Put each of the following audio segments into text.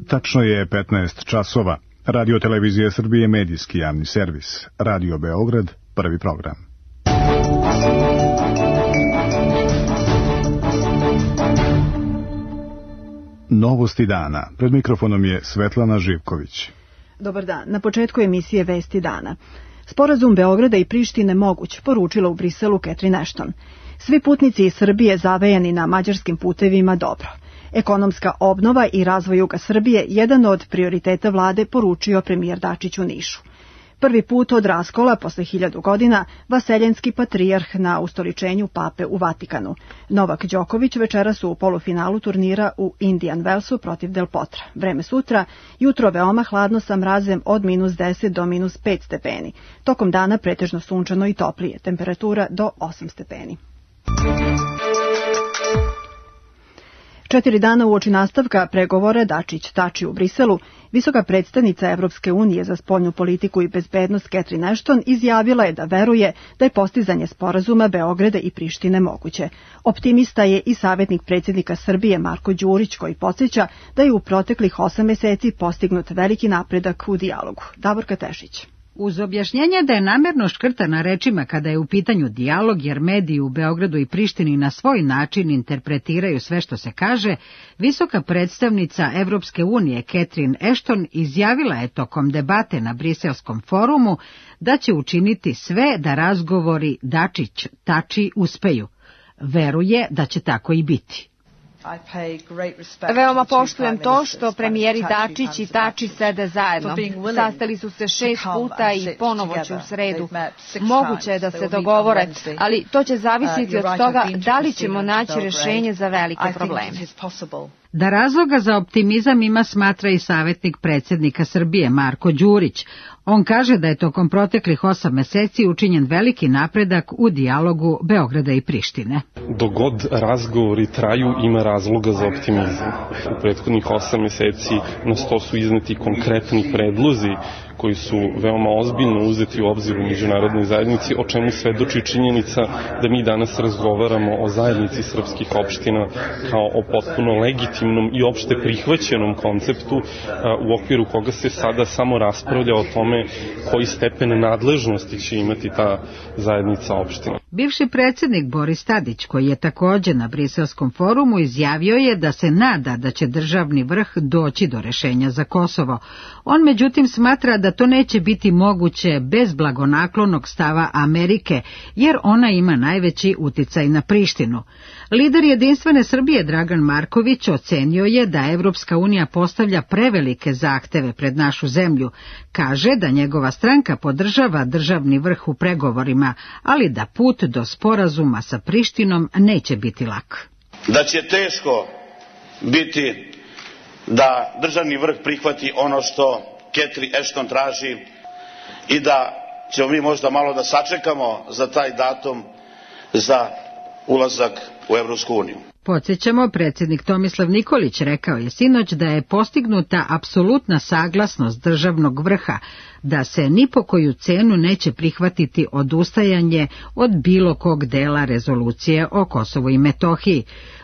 Tačno je 15 časova. Radio Televizija Srbije, medijski javni servis. Radio Beograd, prvi program. Novosti dana. Pred mikrofonom je Svetlana Živković. Dobar dan. Na početku emisije Vesti dana. Sporazum Beograda i Prištine moguć, poručila u Briselu Catherine Ashton. Svi putnici iz Srbije zavejani na mađarskim putevima dobro. Ekonomska obnova i razvoj juga Srbije jedan od prioriteta vlade, poručio premijer Dačić u Nišu. Prvi put od raskola posle 1000 godina vaseljenski patrijarh na ustoličenju pape u Vatikanu. Novak Đoković večeras u polufinalu turnira u Indian Wellsu protiv Del Potra. Vreme sutra, jutro veoma hladno sa mrazem od -10 do -5 stepeni. Tokom dana pretežno sunčano i toplije, temperatura do 8 stepeni. 4 dana uoči nastavka pregovora Dačić-Tači u Briselu, visoka predstavnica Evropske unije za spoljnu politiku i bezbednost Catherine Ashton izjavila je da veruje da je postizanje sporazuma Beograda i Prištine moguće. Optimista je i savjetnik predsjednika Srbije Marko Đurić, koji podsjeća da je u proteklih 8 meseci postignut veliki napredak u dijalogu. Davorka Tešić. Uz objašnjenje da je namerno škrtana rečima kada je u pitanju dijalog, jer mediji u Beogradu i Prištini na svoj način interpretiraju sve što se kaže, visoka predstavnica Evropske unije Catherine Ashton izjavila je tokom debate na Briselskom forumu da će učiniti sve da razgovori Dačić-Tači uspeju. Veruje da će tako i biti. Veoma poštujem to što premijeri Dačić i Tači sede zajedno. Sastali su se 6 puta i ponovo će u sredu. Moguće je da se dogovore, ali to će zavisiti od toga da li ćemo naći rešenje za velike probleme. Da razloga za optimizam ima, smatra i savjetnik predsjednika Srbije Marko Đurić. On kaže da je tokom proteklih 8 meseci učinjen veliki napredak u dijalogu Beograda i Prištine. Dok god razgovori traju, ima razloga za optimizam. U prethodnih 8 meseci na sto su izneti konkretni predlozi koji su veoma ozbiljno uzeti u obzir u međunarodnoj zajednici, o čemu svedoči činjenica da mi danas razgovaramo o zajednici srpskih opština kao o potpuno legitimnom i opšte prihvaćenom konceptu u okviru koga se sada samo raspravlja o tome koji stepen nadležnosti će imati ta zajednica opština. Bivši predsjednik Boris Tadić, koji je također na Briselskom forumu, izjavio je da se nada da će državni vrh doći do rešenja za Kosovo. On međutim smatra da to neće biti moguće bez blagonaklonog stava Amerike, jer ona ima najveći uticaj na Prištinu. Lider Jedinstvene Srbije Dragan Marković ocenio je da Evropska unija postavlja prevelike zahteve pred našu zemlju. Kaže da njegova stranka podržava državni vrh u pregovorima, ali da put do sporazuma sa Prištinom neće biti lak. Da će teško biti da državni vrh prihvati ono što Catherine Ashton traži i da ćemo mi možda malo da sačekamo za taj datum za ulazak u Evropsku uniju. Podsjećamo, predsjednik Tomislav Nikolić rekao je sinoć da je postignuta apsolutna saglasnost državnog vrha, da se ni po koju cenu neće prihvatiti odustajanje od bilo kog dela rezolucije o Kosovu i Metohiji.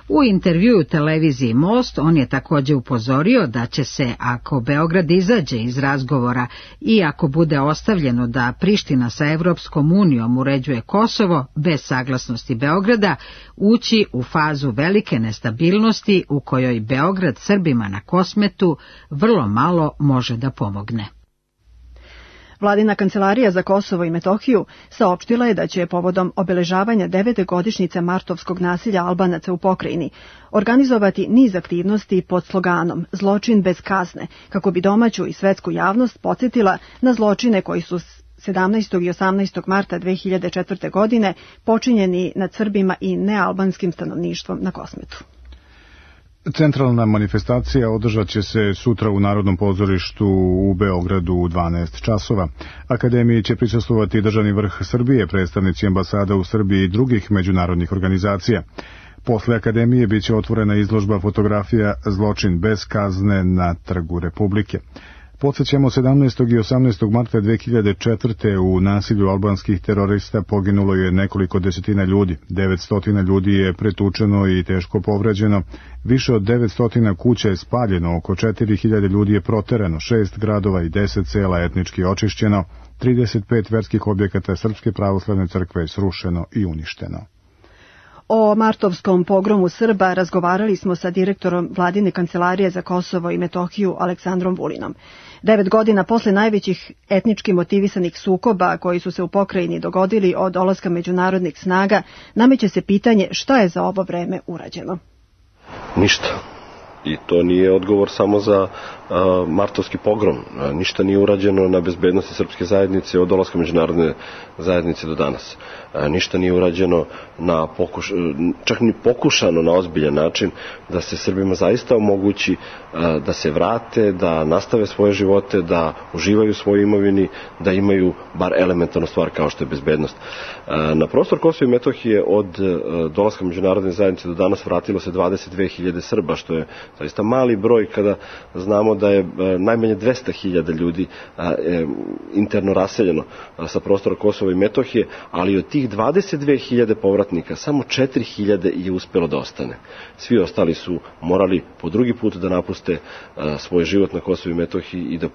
U intervjuu televiziji Most on je također upozorio da će se, ako Beograd izađe iz razgovora i ako bude ostavljeno da Priština sa Evropskom unijom uređuje Kosovo bez saglasnosti Beograda, ući u fazu velike nestabilnosti u kojoj Beograd Srbima na Kosmetu vrlo malo može da pomogne. Vladina kancelarija za Kosovo i Metohiju saopštila je da će povodom obeležavanja 9. godišnjice martovskog nasilja Albanaca u pokrajini organizovati niz aktivnosti pod sloganom Zločin bez kazne, kako bi domaću i svetsku javnost podsjetila na zločine koji su 17. i 18. marta 2004. godine počinjeni nad Srbima i nealbanskim stanovništvom na Kosmetu. Centralna manifestacija održat će se sutra u Narodnom pozorištu u Beogradu u 12 časova. Akademiji će prisustvovati državni vrh Srbije, predstavnici ambasada u Srbiji i drugih međunarodnih organizacija. Posle Akademije biće otvorena izložba fotografija Zločin bez kazne na Trgu Republike. Podsjećamo, 17. i 18. marta 2004. u nasilju albanskih terorista poginulo je nekoliko desetina ljudi. 900 ljudi je pretučeno i teško povređeno. Više od 900 kuća je spaljeno, oko 4000 ljudi je proterano, 6 gradova i 10 sela etnički očišćeno, 35 verskih objekata Srpske pravoslavne crkve je srušeno i uništeno. O martovskom pogromu Srba razgovarali smo sa direktorom Vladine kancelarije za Kosovo i Metohiju Aleksandrom Vulinom. 9 godina posle najvećih etnički motivisanih sukoba koji su se u pokrajini dogodili od dolaska međunarodnih snaga, nameće se pitanje šta je za ovo vreme urađeno. Ništa. I to nije odgovor samo za martovski pogrom. Ništa nije urađeno na bezbednosti srpske zajednice od dolaska međunarodne zajednice do danas. Ništa nije urađeno čak ni pokušano na ozbiljan način da se Srbima zaista omogući da se vrate, da nastave svoje živote, da uživaju u svojoj imovini, da imaju bar elementarnu stvar kao što je bezbednost. Na prostor Kosova i Metohije od dolaska međunarodne zajednice do danas vratilo se 22.000 Srba, što je zaista mali broj kada znamo da je najmanje 200.000 ljudi interno raseljeno sa prostora Kosova i Metohije, ali od tih 22.000 povratnika samo 4.000 je uspelo da ostane. Svi ostali su morali po drugi put da napuste svoj život na Kosovu i Metohiji i da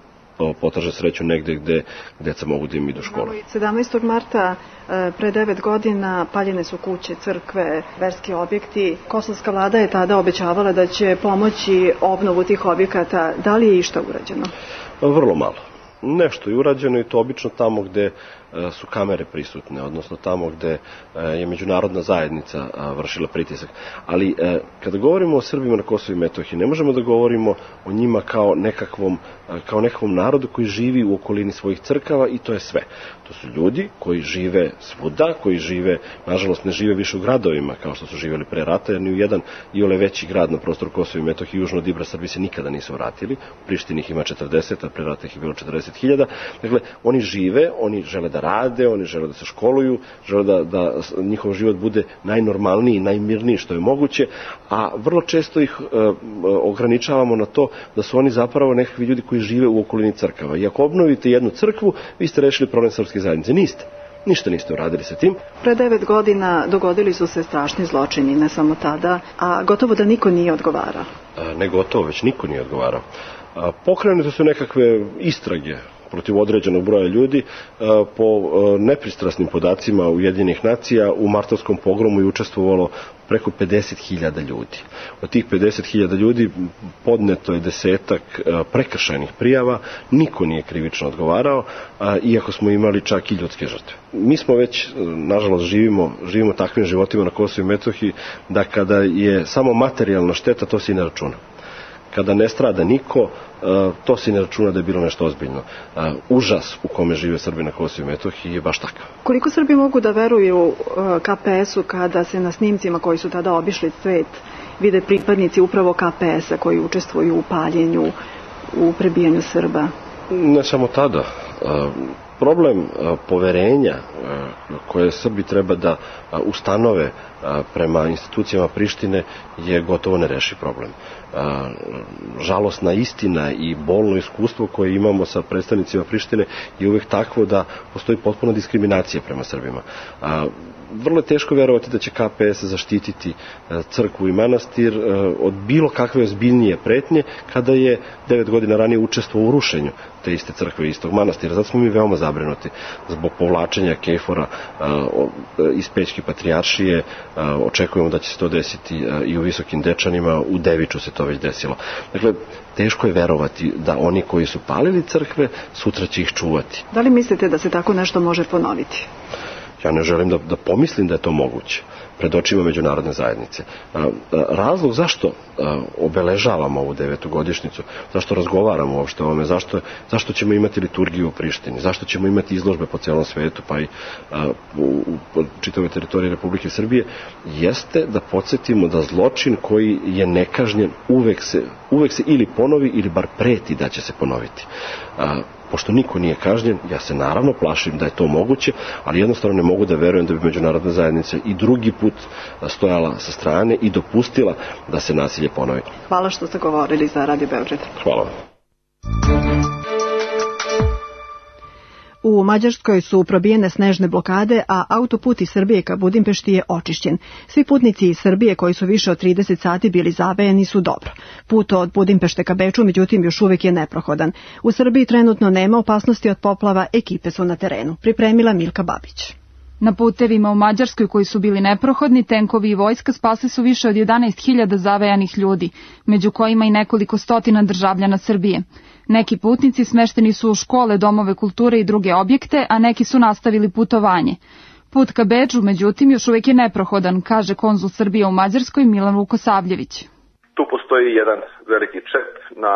potraže sreću negde gde deca mogu da im idu u školu. 17. marta pre 9 godina paljene su kuće, crkve, verski objekti. Kosovska vlada je tada obećavala da će pomoći obnovu tih objekata. Da li je išta urađeno? Vrlo malo. Nešto je urađeno i to obično tamo gde su kamere prisutne, odnosno tamo gde je međunarodna zajednica vršila pritisak. Ali kada govorimo o Srbima na Kosovu i Metohiji, ne možemo da govorimo o njima kao nekakvom narodu koji živi u okolini svojih crkava i to je sve. To su ljudi koji žive svuda, koji žive, nažalost ne žive više u gradovima kao što su živjeli pre rata, jer ni u jedan iole veći grad na prostoru Kosova i Metohije južno od Ibra Srbi se nikada nisu vratili. U Prištini ih ima 40, a pre rata ih je bilo 40.000. Dakle, oni žive, oni žele da rade, oni žele da se školuju, žele da njihov život bude najnormalniji, najmirniji što je moguće, a vrlo često ih ograničavamo na to da su oni zapravo nekakvi ljudi koji žive u okolini crkava. I ako obnovite jednu crkvu, vi ste rešili problem srpske zajednice. Niste. Ništa niste uradili sa tim. Pre 9 godina dogodili su se strašni zločini, ne samo tada, a gotovo da niko nije odgovarao. Ne gotovo, već niko nije odgovarao. Pokrenute su nekakve istrage protiv određenog broja ljudi. Po nepristrasnim podacima Ujedinjenih nacija u martovskom pogromu je učestvovalo preko 50.000 ljudi. Od tih 50.000 ljudi podneto je 10 prekršajnih prijava, niko nije krivično odgovarao, iako smo imali čak i ljudske žrtve. Mi smo već, nažalost, živimo takvim životima na Kosovu i Metohiji, da kada je samo materijalna šteta, to se i ne računa. Kada ne strada niko, to se ne računa da je bilo nešto ozbiljno. Užas u kome žive Srbi na Kosovu i Metohiji je baš takav. Koliko Srbi mogu da veruju KPS-u kada se na snimcima koji su tada obišli svet vide pripadnici upravo KPS-a koji učestvuju u paljenju, u prebijanju Srba? Ne samo tada. Problem poverenja koje Srbi treba da ustanove prema institucijama Prištine je gotovo nerešiv problem. Žalosna istina i bolno iskustvo koje imamo sa predstavnicima Prištine je uvek takvo da postoji potpuna diskriminacija prema Srbima. Vrlo je teško verovati da će KPS zaštititi crkvu i manastir od bilo kakve ozbiljnije pretnje kada je 9 godina ranije učestvovao u rušenju te iste crkve i istog manastira. Zato smo mi veoma zabrinuti zbog povlačenja Kejfora iz Pećke patrijaršije. Očekujemo da će se to desiti i u Visokim Dečanima, u Deviču se to već desilo. Dakle, teško je verovati da oni koji su palili crkve sutra će ih čuvati. Da li mislite da se tako nešto može ponoviti? Ja ne želim da pomislim da je to moguće pred očima međunarodne zajednice. Razlog zašto obeležavamo ovu 9. godišnjicu, zašto razgovaramo uopšte o ovome, zašto ćemo imati liturgiju u Prištini, zašto ćemo imati izložbe po celom svetu, pa i u čitavoj teritoriji Republike Srbije, jeste da podsjetimo da zločin koji je nekažnjen uvek se ili ponovi ili bar preti da će se ponoviti. Pošto niko nije kažnjen, ja se naravno plašim da je to moguće, ali jednostavno ne mogu da verujem da bi međunarodna zajednica i drugi put stojala sa strane i dopustila da se nasilje ponovi. Hvala što ste govorili za Radio Beograd. Hvala vam. U Mađarskoj su probijene snežne blokade, a autoput iz Srbije ka Budimpešti je očišćen. Svi putnici iz Srbije koji su više od 30 sati bili zavejani su dobro. Put od Budimpešte ka Beču, međutim, još uvijek je neprohodan. U Srbiji trenutno nema opasnosti od poplava, ekipe su na terenu. Pripremila Milka Babić. Na putevima u Mađarskoj koji su bili neprohodni, tenkovi i vojska spasli su više od 11.000 zavejanih ljudi, među kojima i nekoliko stotina državljana Srbije. Neki putnici smešteni su u škole, domove kulture i druge objekte, a neki su nastavili putovanje. Put ka Beču, međutim, još uvijek je neprohodan, kaže konzul Srbije u Mađarskoj Milan Vukosavljević. Tu postoji jedan veliki čep na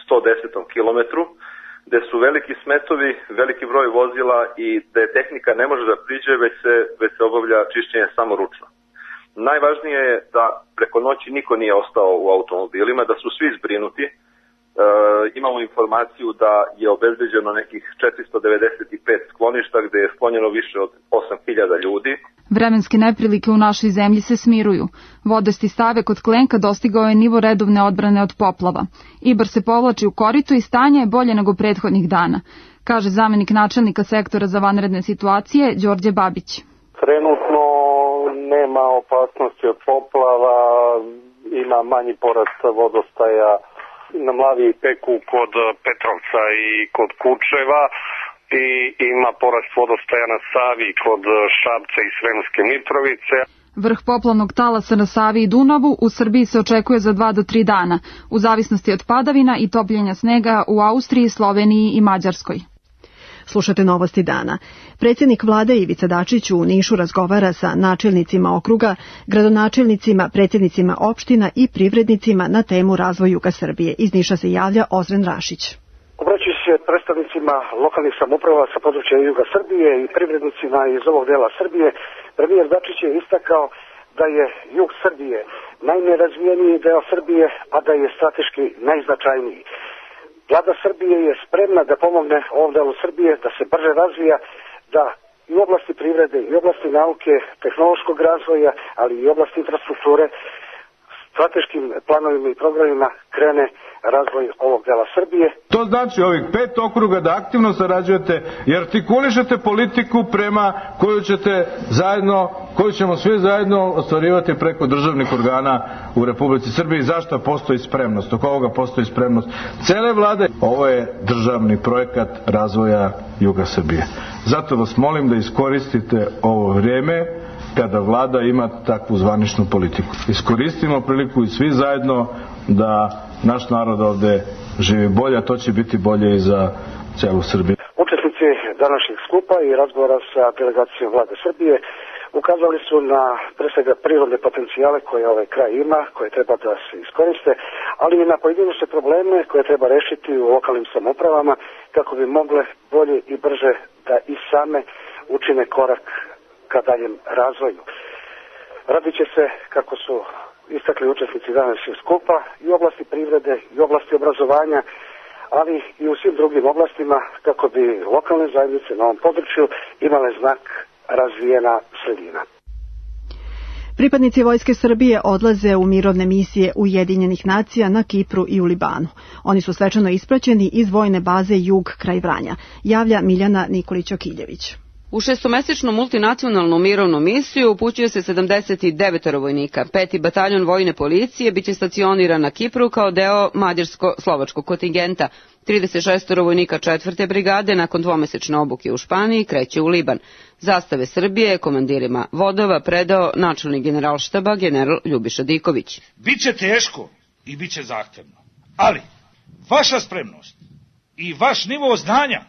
110. kilometru, gde su veliki smetovi, veliki broj vozila i gde tehnika ne može da priđe, već se obavlja čišćenje samo ručno. Najvažnije je da preko noći niko nije ostao u automobilima, da su svi zbrinuti. Imamo informaciju da je obezbeđeno nekih 495 skloništa gde je sklonjeno više od 8.000 ljudi. Vremenske neprilike u našoj zemlji se smiruju. Vodasti stave kod Klenka dostigao je nivo redovne odbrane od poplava. Ibar se povlači u korito i stanje je bolje nego prethodnih dana, kaže zamenik načelnika sektora za vanredne situacije Đorđe Babić. Trenutno nema opasnosti od poplava, ima manji porast vodostaja na Mlavi i Peku kod Petrovca i kod Kučeva i ima porast vodostaja na Savi kod Šapca i Sremske Mitrovice. Vrh poplavnog talasa na Savi i Dunavu u Srbiji se očekuje za 2 do 3 dana, u zavisnosti od padavina i topljenja snega u Austriji, Sloveniji i Mađarskoj. Slušate Novosti dana. Predsjednik vlade Ivica Dačić u Nišu razgovara sa načelnicima okruga, gradonačelnicima, predsjednicima opština i privrednicima na temu razvoj juga Srbije. Iz Niša se javlja Ozren Rašić. Obraćajući se predstavnicima lokalnih samouprava sa područja juga Srbije i privrednicima iz ovog dela Srbije, premijer Dačić je istakao da je jug Srbije najnerazvijeniji deo Srbije, a da je strateški najznačajniji. Vlada Srbije je spremna da pomogne ovom delu Srbije, da se brže razvija, da i u oblasti privrede, i u oblasti nauke, tehnološkog razvoja, ali i u oblasti infrastrukture, strateškim planovima i programima krene razvoj ovog dela Srbije. To znači ovih 5 okruga da aktivno sarađujete i artikulišete politiku prema koju ćemo svi zajedno ostvarivati preko državnih organa u Republici Srbiji. Zašto postoji spremnost? Oko ovoga postoji spremnost cele vlade. Ovo je državni projekat razvoja juga Srbije. Zato vas molim da iskoristite ovo vrijeme kada vlada ima takvu zvaničnu politiku. Iskoristimo priliku i svi zajedno da naš narod ovde živi bolje, a to će biti bolje i za celu Srbiju. Učesnici današnjeg skupa i razgovora sa delegacijom vlade Srbije ukazali su na pre svega prirodne potencijale koje ovaj kraj ima, koje treba da se iskoriste, ali i na pojedinačne probleme koje treba rešiti u lokalnim samoupravama kako bi mogle bolje i brže da i same učine korak ka daljem razvoju. Radit će se, kako su istakli učesnici današnjeg skupa, i u oblasti privrede, i u oblasti obrazovanja, ali i u svim drugim oblastima kako bi lokalne zajednice na ovom području imale znak razvijena sredina. Pripadnici Vojske Srbije odlaze u mirovne misije Ujedinjenih nacija na Kipru i u Libanu. Oni su svečano ispraćeni iz vojne baze Jug kraj Vranja, javlja Miljana Nikolić-Okiljević. U 6-mesečnu multinacionalnu mirovnu misiju upućuje se 79 vojnika. 5. bataljon vojne policije biće stacioniran na Kipru kao deo mađarsko-slovačkog kontingenta. 36 vojnika 4. brigade nakon 2-mesečne obuke u Španiji kreće u Liban. Zastave Srbije komandirima vodova predao načelnik generalštaba general Ljubiša Diković. Biće teško i biće zahtevno, ali vaša spremnost i vaš nivo znanja,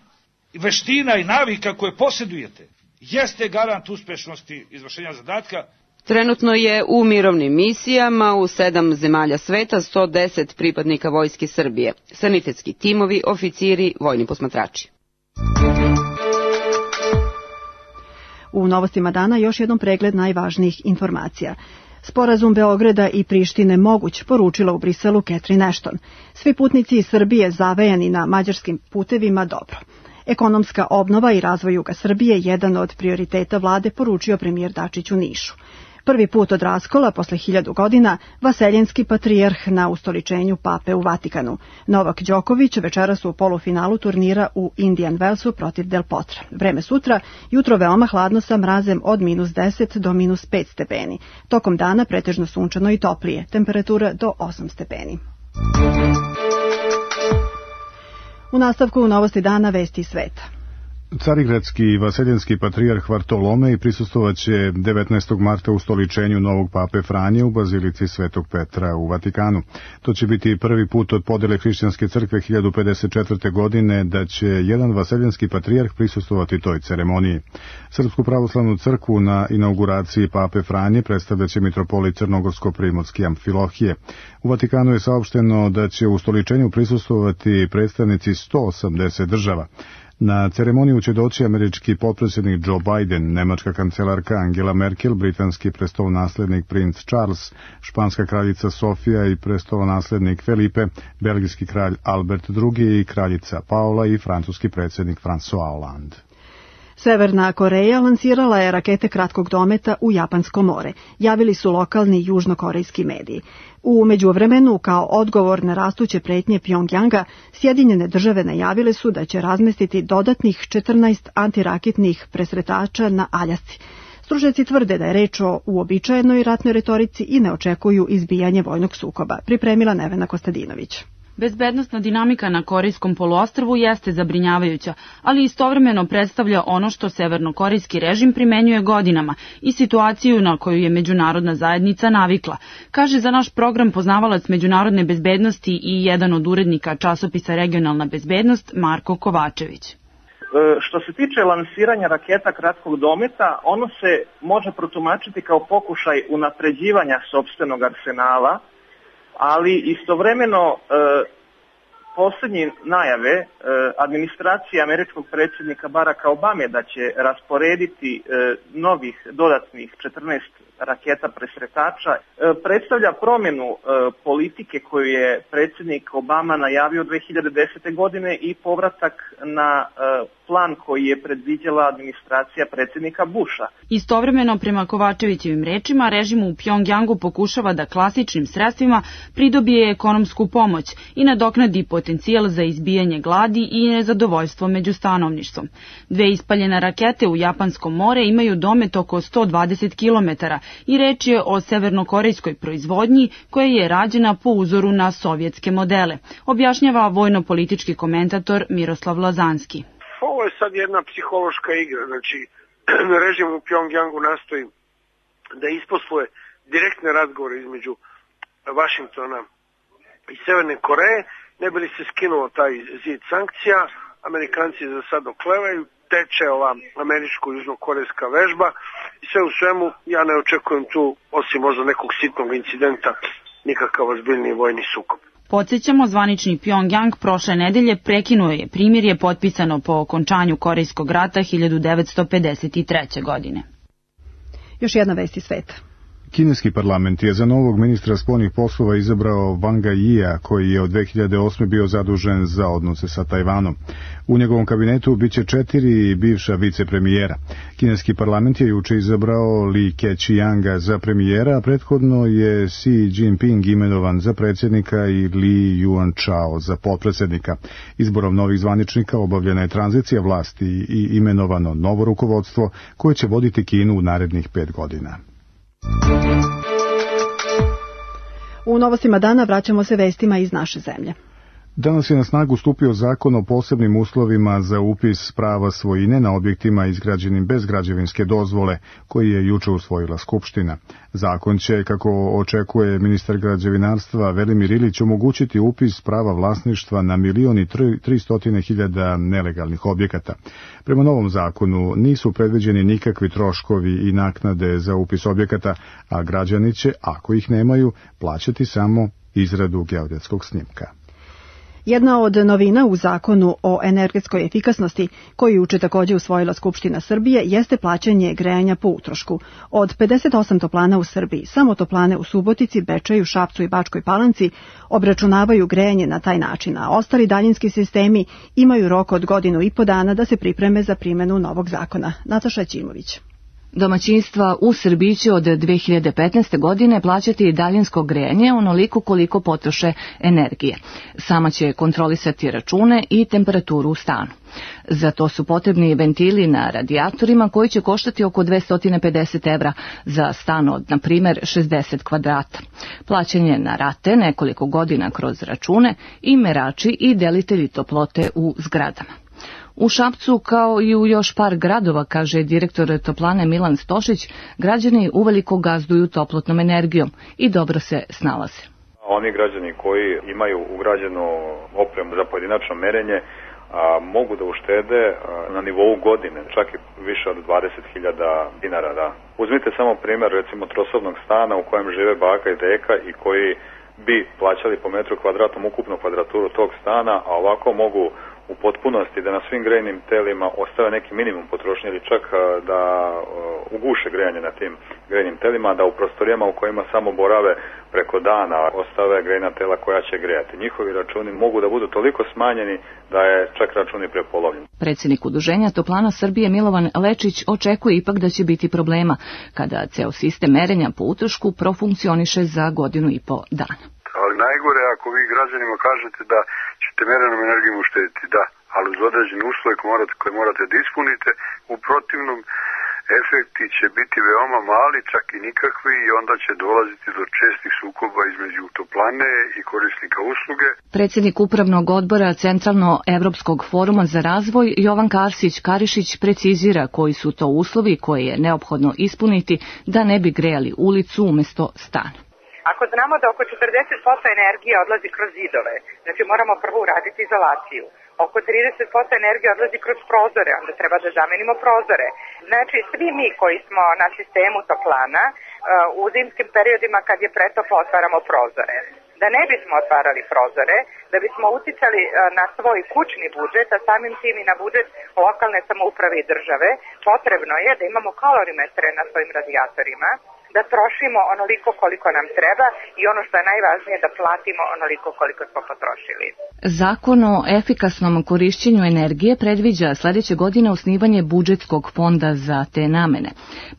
veština i navika koje posjedujete jeste garant uspešnosti izvršenja zadatka. Trenutno je u mirovnim misijama u 7 zemalja sveta 110 pripadnika Vojske Srbije, sanitetski timovi, oficiri, vojni posmatrači. U novostima dana još jednom pregled najvažnijih informacija. Sporazum Beograda i Prištine moguć, poručila u Briselu Catherine Ashton. Svi putnici iz Srbije zavejani na mađarskim putevima dobro. Ekonomska obnova i razvoj juga Srbije jedan od prioriteta vlade, poručio premijer Dačić u Nišu. Prvi put od raskola, posle 1000 godina, vaseljenski patrijarh na ustoličenju pape u Vatikanu. Novak Đoković večeras u polufinalu turnira u Indian Wellsu protiv Del Potra. Vreme sutra, jutro veoma hladno sa mrazem od -10 do -5 stepeni. Tokom dana pretežno sunčano i toplije, temperatura do 8 stepeni. U nastavku novosti dana vesti sveta. Carigradski i vaseljenski patrijarh Vartolomej prisustvovaće 19. marta ustoličenju novog pape Franje u bazilici Svetog Petra u Vatikanu. To će biti prvi put od podele hrišćanske crkve 1054. godine da će jedan vaseljenski patrijarh prisustvovati toj ceremoniji. Srpsku pravoslavnu crkvu na inauguraciji pape Franje predstavljaće mitropolit Crnogorsko-primorski Amfilohije. U Vatikanu je saopšteno da će u ustoličenju prisustvovati predstavnici 180 država. Na ceremoniju će doći američki potpredsjednik Joe Biden, nemačka kancelarka Angela Merkel, britanski prestolonaslednik princ Charles, španska kraljica Sofija i prestolonaslednik Felipe, belgijski kralj Albert II i kraljica Paola i francuski predsjednik François Hollande. Severna Koreja lansirala je rakete kratkog dometa u Japansko more, javili su lokalni južnokorejski mediji. U međuvremenu, kao odgovor na rastuće pretnje Pjongjanga, Sjedinjene države najavile su da će razmestiti dodatnih 14 antiraketnih presretača na Aljasci. Stručnjaci tvrde da je reč o uobičajenoj ratnoj retorici i ne očekuju izbijanje vojnog sukoba, pripremila Nevena Kostadinović. Bezbednosna dinamika na Korejskom poluostrvu jeste zabrinjavajuća, ali istovremeno predstavlja ono što severnokorejski režim primenjuje godinama i situaciju na koju je međunarodna zajednica navikla, kaže za naš program poznavalac međunarodne bezbednosti i jedan od urednika časopisa Regionalna bezbednost Marko Kovačević. Što se tiče lansiranja raketa kratkog dometa, ono se može protumačiti kao pokušaj unapređivanja sopstvenog arsenala, ali istovremeno posljednje najave administracije američkog predsjednika Baracka Obame da će rasporediti novih dodatnih 14 raketa presretača predstavlja promjenu politike koju je predsjednik Obama najavio 2010. godine i povratak na plan koji je predviđala administracija predsjednika Busha. Istovremeno, prema Kovačevićevim rečima, režim u Pjongjangu pokušava da klasičnim sredstvima pridobije ekonomsku pomoć i nadoknadi potencijal za izbijanje gladi i nezadovoljstvo među stanovništvom. Dve ispaljene rakete u Japansko more imaju domet oko 120 km i reč je o severnokorejskoj proizvodnji koja je rađena po uzoru na sovjetske modele, objašnjava vojno-politički komentator Miroslav Lazanski. Ovo je sad jedna psihološka igra, znači režim u Pjongjangu nastoji da isposluje direktne razgovore između Vašingtona i Severne Koreje, ne bi li se skinuo taj zid sankcija. Amerikanci za sad oklevaju, teče ova američko-južnokorejska vežba i sve u svemu ja ne očekujem tu, osim možda nekog sitnog incidenta, nikakav ozbiljni vojni sukob. Podsjećamo, zvanični Pjongjang prošle nedelje prekinuo je primirje potpisano po okončanju Korejskog rata 1953. godine. Još jedna vest iz sveta. Kineski parlament je za novog ministra spoljnih poslova izabrao Wanga Yia, koji je od 2008. bio zadužen za odnose sa Tajvanom. U njegovom kabinetu biće 4 bivša vicepremijera. Kineski parlament je juče izabrao Li Keqianga za premijera, a prethodno je Xi Jinping imenovan za predsjednika i Li Yuanchao za potpredsjednika. Izborom novih zvaničnika obavljena je tranzicija vlasti i imenovano novo rukovodstvo koje će voditi Kinu u narednih 5 godina. U novostima dana vraćamo se vestima iz naše zemlje. Danas je na snagu stupio zakon o posebnim uslovima za upis prava svojine na objektima izgrađenim bez građevinske dozvole, koji je juče usvojila Skupština. Zakon će, kako očekuje ministar građevinarstva Velimir Ilić, omogućiti upis prava vlasništva na 1.300.000 nelegalnih objekata. Prema novom zakonu nisu predviđeni nikakvi troškovi i naknade za upis objekata, a građani će, ako ih nemaju, plaćati samo izradu geodetskog snimka. Jedna od novina u zakonu o energetskoj efikasnosti, koju juče također usvojila Skupština Srbije, jeste plaćanje grejanja po utrošku. Od 58 toplana u Srbiji, samo toplane u Subotici, Bečeju, Šapcu i Bačkoj Palanci obračunavaju grejanje na taj način, a ostali daljinski sistemi imaju rok od 1,5 godina da se pripreme za primjenu novog zakona. Nataša Ćimović. Domaćinstva u Srbiji će od 2015. godine plaćati daljinsko grejanje onoliko koliko potroše energije. Sama će kontrolisati račune i temperaturu u stanu. Za to su potrebni ventili na radijatorima koji će koštati oko 250 evra za stan od, na primjer, 60 kvadrata. Plaćanje na rate nekoliko godina kroz račune i merači i delitelji toplote u zgradama. U Šapcu, kao i u još par gradova, kaže direktor toplane Milan Stošić, građani uveliko gazduju toplotnom energijom i dobro se snalaze. Oni građani koji imaju ugrađenu opremu za pojedinačno merenje mogu da uštede na nivou godine, čak i više od 20.000 dinara. Da. Uzmite samo primjer recimo trosobnog stana u kojem žive baka i deka i koji bi plaćali po metru kvadratnom ukupnu kvadraturu tog stana, a ovako mogu u potpunosti da na svim grejnim telima ostave neki minimum potrošnje ili čak da uguše grejanje na tim grejnim telima, da u prostorijama u kojima samo borave preko dana ostave grejna tela koja će grejati. Njihovi računi mogu da budu toliko smanjeni da je čak račun i prepolovljen. Predsjednik Udruženja Toplana Srbije Milovan Lečić očekuje ipak da će biti problema kada ceo sistem merenja po utrošku profunkcioniše za 1,5 godinu. Ali najgore ako vi građanima kažete da ćete merenom energijom uštediti, da, ali uz određene uslove koje morate da ispunite, u protivnom efekti će biti veoma mali, čak i nikakvi, i onda će dolaziti do čestih sukoba između toplane i korisnika usluge. Predsjednik Upravnog odbora Centralno-Evropskog foruma za razvoj Jovan Karsić-Karišić precizira koji su to uslovi koje je neophodno ispuniti da ne bi grejali ulicu umjesto stana. Ako znamo da oko 40% energije odlazi kroz zidove, znači moramo prvo uraditi izolaciju. Oko 30% energije odlazi kroz prozore, onda treba da zamenimo prozore. Znači svi mi koji smo na sistemu toplana u zimskim periodima kad je pretoplo otvaramo prozore. Da ne bismo otvarali prozore, da bismo uticali na svoj kućni budžet, a samim tim i na budžet lokalne samouprave i države, potrebno je da imamo kalorimetre na svojim radijatorima, da trošimo onoliko koliko nam treba i ono što je najvažnije da platimo onoliko koliko smo potrošili. Zakon o efikasnom korišćenju energije predviđa sljedeće godine osnivanje budžetskog fonda za te namene.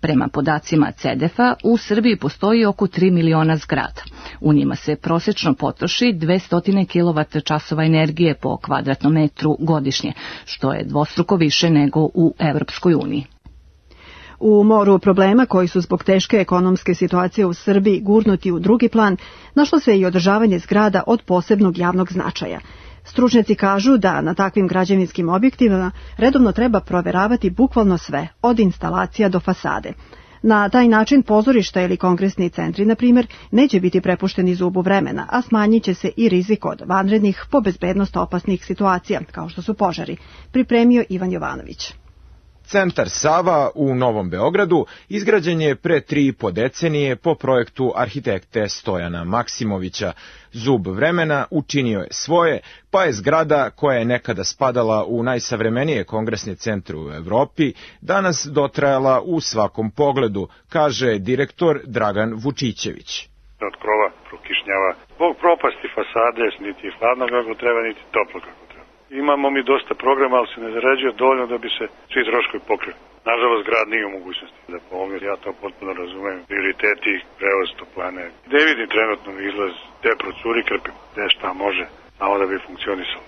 Prema podacima CEDEF-a u Srbiji postoji oko 3 miliona zgrada. U njima se prosječno potroši 200 kWh energije po kvadratnom metru godišnje, što je dvostruko više nego u Evropskoj uniji. U moru problema koji su zbog teške ekonomske situacije u Srbiji gurnuti u drugi plan, našlo se i održavanje zgrada od posebnog javnog značaja. Stručnjaci kažu da na takvim građevinskim objektima redovno treba proveravati bukvalno sve, od instalacija do fasade. Na taj način pozorišta ili kongresni centri, na primjer, neće biti prepušteni zubu vremena, a smanjit će se i rizik od vanrednih po bezbednost opasnih situacija, kao što su požari, pripremio Ivan Jovanović. Centar Sava u Novom Beogradu izgrađen je pre 3,5 decenije po projektu arhitekte Stojana Maksimovića. Zub vremena učinio je svoje, pa je zgrada koja je nekada spadala u najsavremenije kongresne centre u Evropi danas dotrajala u svakom pogledu, kaže direktor Dragan Vučićević. Od krova prokišnjava. Zbog propasti fasade niti hladno kako treba, niti toplo kako treba. Imamo mi dosta programa, ali se ne zarađuje dovoljno da bi se svi troškovi pokrili. Nažalost, grad nije u mogućnosti da pomogne. Ja to potpuno razumem. Prioriteti, prevoz toplane. Ne vidim trenutno izlaz, te procuri krpimo. Gde šta može, malo da bi funkcionisalo.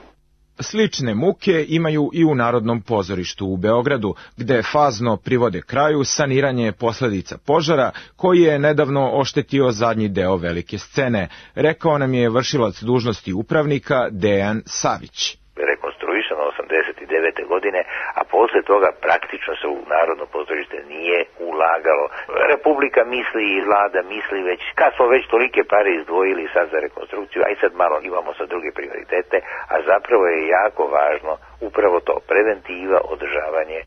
Slične muke imaju i u Narodnom pozorištu u Beogradu, gde fazno privode kraju saniranje posledica požara koji je nedavno oštetio zadnji deo velike scene, rekao nam je vršilac dužnosti upravnika Dejan Savić. Rekonstruisano 89. godine, a posle toga praktično se u Narodno pozorište nije ulagalo. Republika misli i vlada misli već, kad smo već tolike pare izdvojili sad za rekonstrukciju, aj sad malo imamo sa druge prioritete, a zapravo je jako važno upravo to, preventiva, održavanje.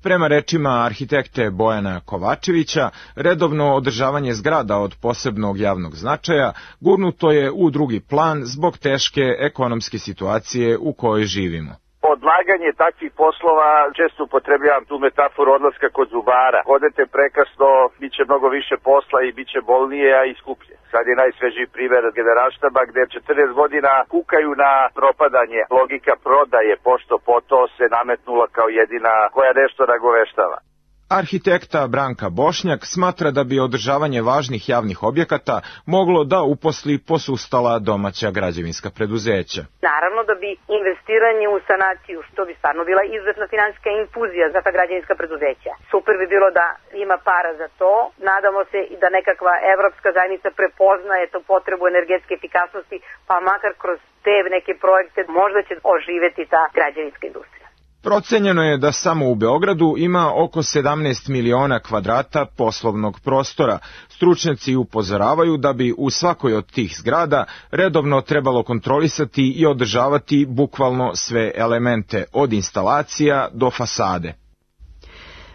Prema rečima arhitekte Bojana Kovačevića, redovno održavanje zgrada od posebnog javnog značaja gurnuto je u drugi plan zbog teške ekonomske situacije u kojoj živimo. Odlaganje takvih poslova, često upotrebljavam tu metaforu odlaska kod zubara. Odete prekasno, bit će mnogo više posla i bit će bolnije, a i skuplje. Sad je najsvežiji primjer Generalštaba gde 40 godina kukaju na propadanje. Logika prodaje pošto poto se nametnula kao jedina koja nešto nagoveštava. Arhitekta Branka Bošnjak smatra da bi održavanje važnih javnih objekata moglo da uposli posustala domaća građevinska preduzeća. Naravno da bi investiranje u sanaciju, to bi stvarno bila izuzetna finansijska infuzija za ta građevinska preduzeća. Super bi bilo da ima para za to. Nadamo se i da nekakva evropska zajednica prepoznaje tu potrebu energetske efikasnosti, pa makar kroz te neke projekte možda će oživeti ta građevinska industrija. Procenjeno je da samo u Beogradu ima oko 17 miliona kvadrata poslovnog prostora. Stručnjaci upozoravaju da bi u svakoj od tih zgrada redovno trebalo kontrolisati i održavati bukvalno sve elemente, od instalacija do fasade.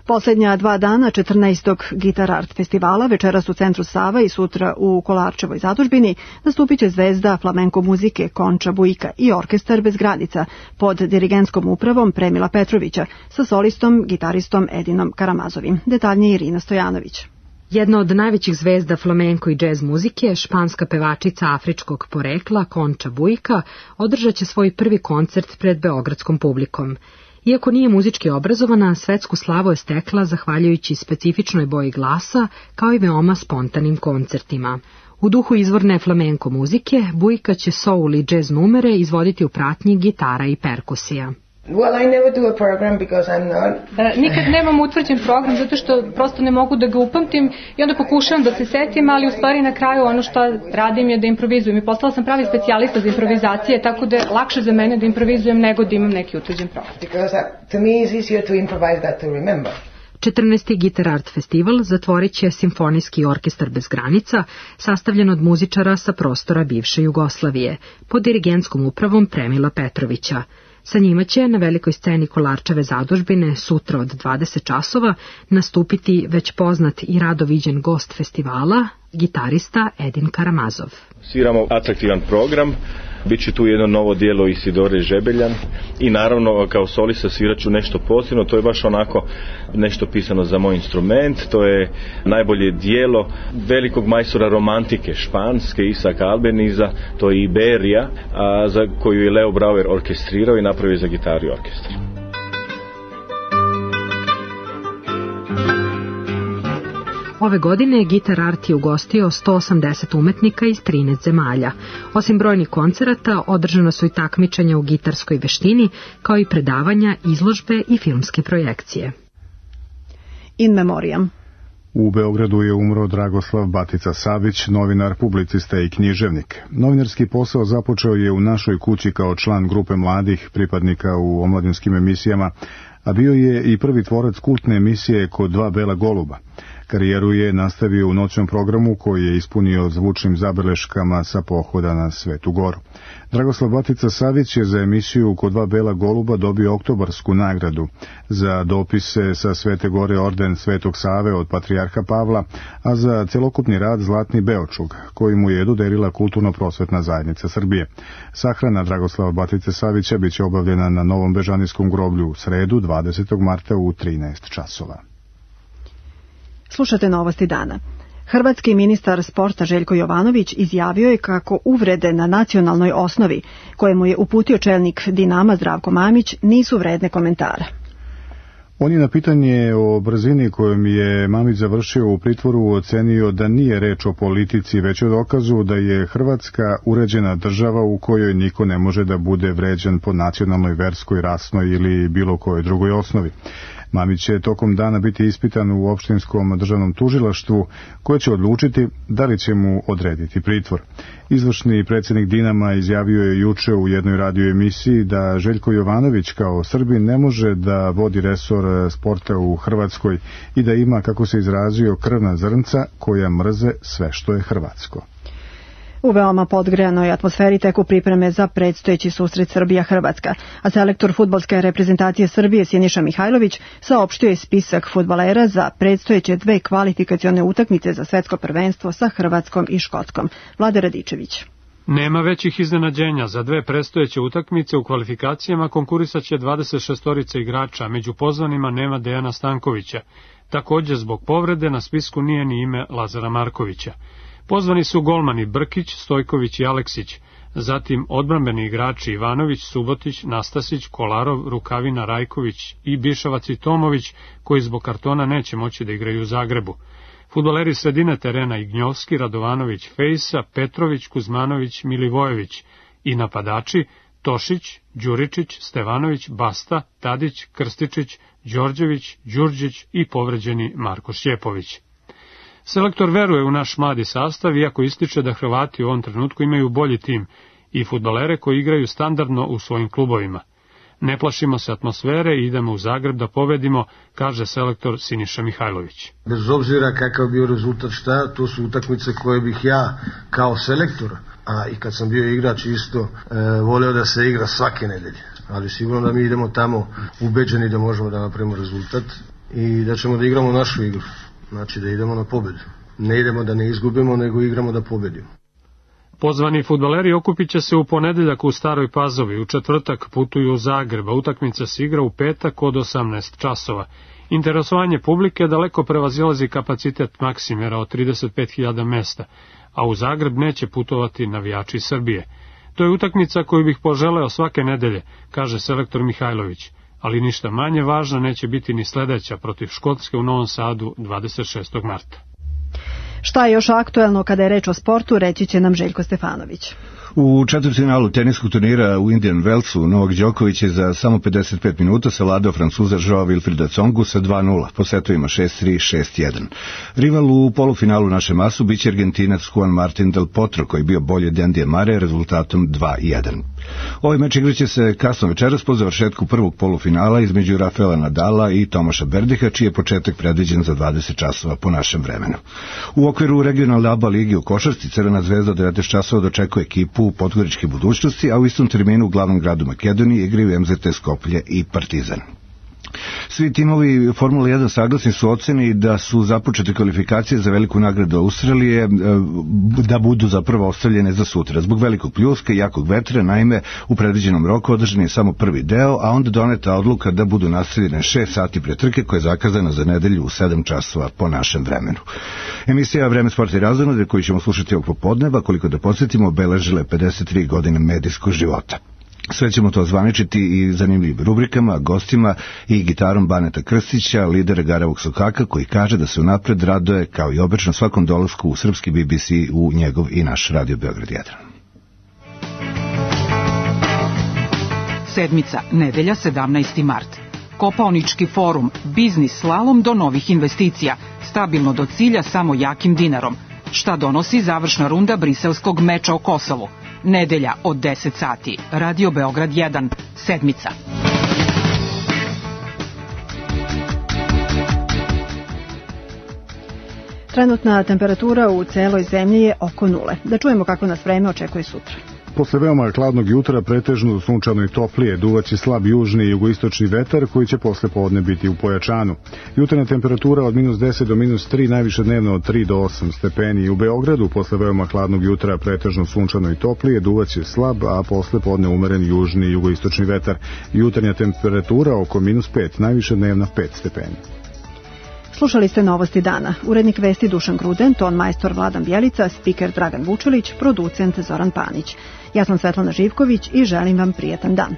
Poslednja 2 dana 14. Gitar Art festivala večeras u centru Sava i sutra u Kolarčevoj zadužbini nastupit će zvezda flamenko muzike Konča Bujka i orkestar bez granica pod dirigentskom upravom Premila Petrovića sa solistom, gitaristom Edinom Karamazovim. Detaljnije Irina Stojanović. Jedna od najvećih zvezda flamenko i džez muzike, španska pevačica afričkog porekla Konča Bujka, održat će svoj prvi koncert pred beogradskom publikom. Iako nije muzički obrazovana, svetsku slavu je stekla zahvaljujući specifičnoj boji glasa, kao i veoma spontanim koncertima. U duhu izvorne flamenko muzike, Bujka će soul i džez numere izvoditi u pratnji gitara i perkusija. Nikad nemam utvrđen program zato što prosto ne mogu da ga upamtim i onda pokušavam da se setim, ali u stvari na kraju ono što radim je da improvizujem i postala sam pravi specijalista za improvizacije, tako da je lakše za mene da improvizujem nego da imam neki utvrđen program. 14. Gitar Art festival zatvorit će Simfonijski orkestar bez granica, sastavljen od muzičara sa prostora bivše Jugoslavije, pod dirigentskom upravom Premila Petrovića. Sa njima će na velikoj sceni Kolarčeve zadužbine sutra od 20 časova nastupiti već poznat i rado viđen gost festivala, gitarista Edin Karamazov. Sviramo atraktivan program, bit će tu jedno novo dijelo Isidore Žebeljan i naravno kao solista svirat ću nešto posebno, to je baš onako nešto pisano za moj instrument, to je najbolje dijelo velikog majstora romantike španske Isaaca Albeniza, to je Iberija, za koju je Leo Brauer orkestrirao i napravio za gitaru i orkestar. Ove godine Gitar Art je ugostio 180 umetnika iz 13 zemalja. Osim brojnih koncerata, održana su i takmičenja u gitarskoj veštini, kao i predavanja, izložbe i filmske projekcije. In memoriam. U Beogradu je umro Dragoslav Batica Savić, novinar, publicista i književnik. Novinarski posao započeo je u našoj kući kao član grupe mladih pripadnika u omladinskim emisijama, a bio je i prvi tvorac kultne emisije Kod dva bela goluba. Karijeru je nastavio u noćnom programu koji je ispunio zvučnim zabeleškama sa pohoda na Svetu Goru. Dragoslav Batica Savić je za emisiju Kod dva bela goluba dobio oktobarsku nagradu, za dopise sa Svete Gore orden Svetog Save od Patrijarha Pavla, a za celokupni rad Zlatni Beočug, koji mu je dodelila Kulturno-prosvetna zajednica Srbije. Sahrana Dragoslava Batice Savića biće obavljena na Novom Bežanijskom groblju u sredu 20. marta u 13 časova. Slušate novosti dana. Hrvatski ministar sporta Željko Jovanović izjavio je kako uvrede na nacionalnoj osnovi, koje mu je uputio čelnik Dinama Zdravko Mamić, nisu vredne komentara. On je na pitanje o brzini kojom je Mamić završio u pritvoru ocenio da nije reč o politici, već o dokazu da je Hrvatska uređena država u kojoj niko ne može da bude vređan po nacionalnoj, verskoj, rasnoj ili bilo kojoj drugoj osnovi. Mamić će tokom dana biti ispitan u opštinskom državnom tužilaštvu, koje će odlučiti da li će mu odrediti pritvor. Izvršni predsjednik Dinama izjavio je juče u jednoj radio emisiji da Željko Jovanović kao Srbin ne može da vodi resor sporta u Hrvatskoj i da ima, kako se izrazio, krvna zrnca koja mrze sve što je hrvatsko. U veoma podgrejanoj atmosferi teku pripreme za predstojeći susret Srbija-Hrvatska, a selektor fudbalske reprezentacije Srbije Siniša Mihajlović saopštio je spisak fudbalera za predstojeće 2 kvalifikacione utakmice za svetsko prvenstvo sa Hrvatskom i Škotskom. Vlada Radičević. Nema većih iznenađenja. Za 2 predstojeće utakmice u kvalifikacijama konkurisaće 26 igrača, među pozvanima nema Dejana Stankovića. Također zbog povrede na spisku nije ni ime Lazara Markovića. Pozvani su golmani Brkić, Stojković i Aleksić. zatim odbrambeni igrači Ivanović, Subotić, Nastasić, Kolarov, Rukavina, Rajković i Bišavac i Tomović, koji zbog kartona neće moći da igraju u Zagrebu. Fudbaleri sredine terena Ignjovski, Radovanović, Fejsa, Petrović, Kuzmanović, Milivojević i napadači Tošić, Đuričić, Stevanović, Basta, Tadić, Krstičić, Đorđević, Đurđić i povređeni Marko Šćepović. Selektor veruje u naš mladi sastav, iako ističe da Hrvati u ovom trenutku imaju bolji tim i fudbalere koji igraju standardno u svojim klubovima. Ne plašimo se atmosfere i idemo u Zagreb da pobedimo, kaže selektor Siniša Mihajlović. Bez obzira kakav bio rezultat šta, to su utakmice koje bih ja kao selektor, a i kad sam bio igrač isto, voleo da se igra svake nedelje. Ali sigurno da mi idemo tamo ubeđeni da možemo da napravimo rezultat i da ćemo da igramo našu igru. Znači da idemo na pobedu. Ne idemo da ne izgubimo, nego igramo da pobedimo. Pozvani fudbaleri okupit će se u ponedeljak u Staroj Pazovi, u četvrtak putuju u Zagreb, a utakmica se igra u petak od 18 časova. Interesovanje publike daleko prevazilazi kapacitet Maksimira od 35.000 mesta, a u Zagreb neće putovati navijači Srbije. To je utakmica koju bih poželeo svake nedelje, kaže selektor Mihajlović, ali ništa manje važna neće biti ni sledeća protiv Škotske u Novom Sadu 26. marta. Šta je još aktuelno kada je reč o sportu, reći će nam Željko Stefanović. U četvrtfinalu teniskog turnira u Indian Wellsu Novak Đoković je za samo 55 minuta savladao Francuza Joao Wilfrida Tsongu sa 2:0 po setovima 6-3, 6-1. Rival u polufinalu naše masu biće Argentinac Juan Martín del Potro, koji je bio bolji od Andyja Murraya rezultatom 2:1. Ovaj meč igraće se kasno večeras po završetku prvog polufinala između Rafaela Nadala i Tomaša Berdiha, čiji je početak predviđen za 20 časova po našem vremenu. U okviru regionalne ABA ligi u košarci Crvena zvezda od 19 časova dočekuje ekipu podgoričke budućnosti, a u istom terminu u glavnom gradu Makedonije igraju MZT Skoplje i Partizan. Svi timovi Formula 1 saglasni su oceni da su započete kvalifikacije za veliku nagradu Australije da budu zapravo ostavljene za sutra. Zbog velikog pljuska i jakog vetra, naime, u predviđenom roku održan je samo prvi deo, a onda doneta odluka da budu nastavljene 6 sati pre trke koja je zakazana za nedelju u 7 časova po našem vremenu. Emisija Vreme, sport i razonode koju ćemo slušati ovog popodneva, koliko da podsjetimo, obeležile 53 godine medijskog života. Sve ćemo to zvaničiti i zanimljivim rubrikama, gostima i gitarom Baneta Krstića, lidera Garavog Sokaka, koji kaže da se unapred raduje kao i obično svakom dolasku u srpski BBC u njegov i naš Radio Beograd 1. Sedmica, nedelja 17. mart. Kopaonički forum, biznis slalom do novih investicija, stabilno do cilja samo jakim dinarom. Šta donosi završna runda briselskog meča o Kosovu? Nedelja od 10 sati. Radio Beograd 1. Sedmica. Trenutna temperatura u celoj zemlji je oko 0. Da čujemo kako nas vreme očekuje sutra. Posle veoma hladnog jutra pretežno sunčano i toplije, duvaće slab južni i jugoistočni vetar koji će posle podne biti u pojačanu. Jutarnja temperatura od -10 do -3, najviše dnevno od 3 do 8 stepeni. U Beogradu posle veoma hladnog jutra pretežno sunčano i toplije, duvaće slab, a posle podne umeren južni i jugoistočni vetar. Jutarnja temperatura oko -5, najviše dnevno 5 stepeni. Slušali ste Novosti dana. Urednik vesti Dušan Gruden, ton majstor Vladan Bjelica, spiker Dragan Vučilić, producent Zoran Panić. Ja sam Svetlana Živković i želim vam prijatan dan.